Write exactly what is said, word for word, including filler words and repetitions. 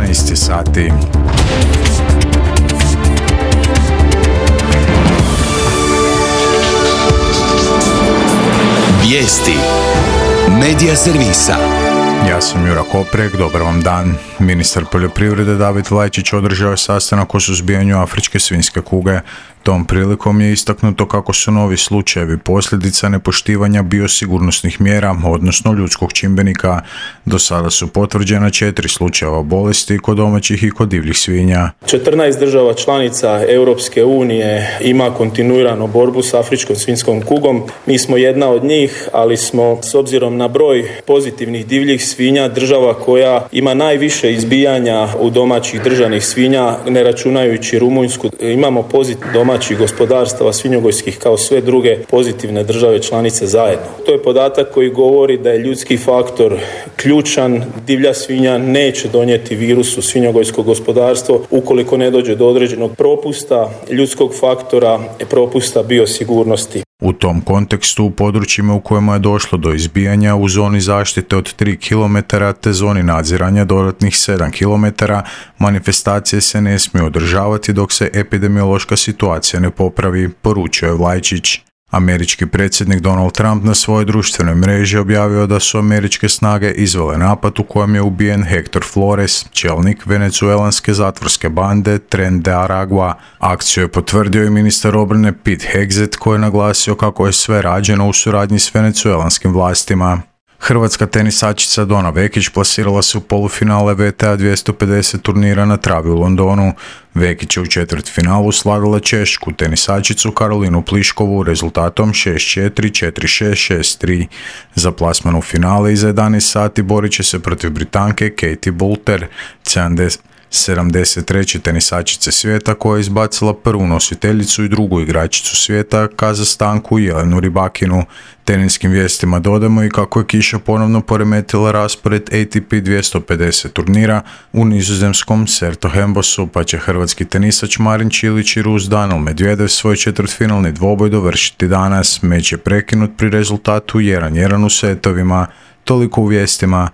jedanaest sati. Vijesti Medija servisa. Ja sam Jura Koprek, dobar vam dan. Ministar poljoprivrede David Lajčić održao je sastanak o suzbijanju afričke svinjske kuge. Tom prilikom je istaknuto kako su novi slučajevi posljedica nepoštivanja biosigurnosnih mjera, odnosno ljudskog čimbenika. Do sada su potvrđena četiri slučajeva bolesti kod domaćih i kod divljih svinja. četrnaest država članica Europske unije ima kontinuirano borbu s afričkom svinjskom kugom. Mi smo jedna od njih, ali smo s obzirom na broj pozitivnih divljih svinja država koja ima najviše izbijanja u domaćih držanih svinja, ne računajući Rumunjsku. Imamo pozitivno domaćih gospodarstava svinjogojskih kao sve druge pozitivne države članice zajedno. To je podatak koji govori da je ljudski faktor ključan. Divlja svinja neće donijeti virus u svinjogojsko gospodarstvo ukoliko ne dođe do određenog propusta ljudskog faktora, propusta biosigurnosti. U tom kontekstu u područjima u kojima je došlo do izbijanja u zoni zaštite od tri kilometra te zoni nadziranja dodatnih sedam kilometara, manifestacije se ne smiju održavati dok se epidemiološka situacija ne popravi, poručio je Vlajčić. Američki predsjednik Donald Trump na svojoj društvenoj mreži objavio da su američke snage izvele napad u kojem je ubijen Hector Flores, čelnik venezuelanske zatvorske bande Tren de Aragua. Akciju je potvrdio i ministar obrane Pete Hegseth koji je naglasio kako je sve rađeno u suradnji s venezuelanskim vlastima. Hrvatska tenisačica Dona Vekić plasirala se u polufinale W T A dvjesto pedeset turnira na travi u Londonu. Vekić je u četvrtfinalu slavila češku tenisačicu Karolinu Pliškovu rezultatom šest četiri, četiri šest, šest tri. Za plasman u finale iza jedanaest sati borit će se protiv Britanke Katie Boulter, sedamdeset treće tenisačice svijeta koja je izbacila prvu nositeljicu i drugu igračicu svijeta Kazastanku Jelenu Rybakinu. Teniskim vijestima dodamo i kako je kiša ponovno poremetila raspored A T P dvjesto pedeset turnira u nizozemskom Sertohembosu, pa će hrvatski tenisač Marin Čilić i Rus Daniil Medvedev svoj četvrtfinalni dvoboj dovršiti danas. Meč je prekinut pri rezultatu jedan jedan u setovima. Toliko u vijestima.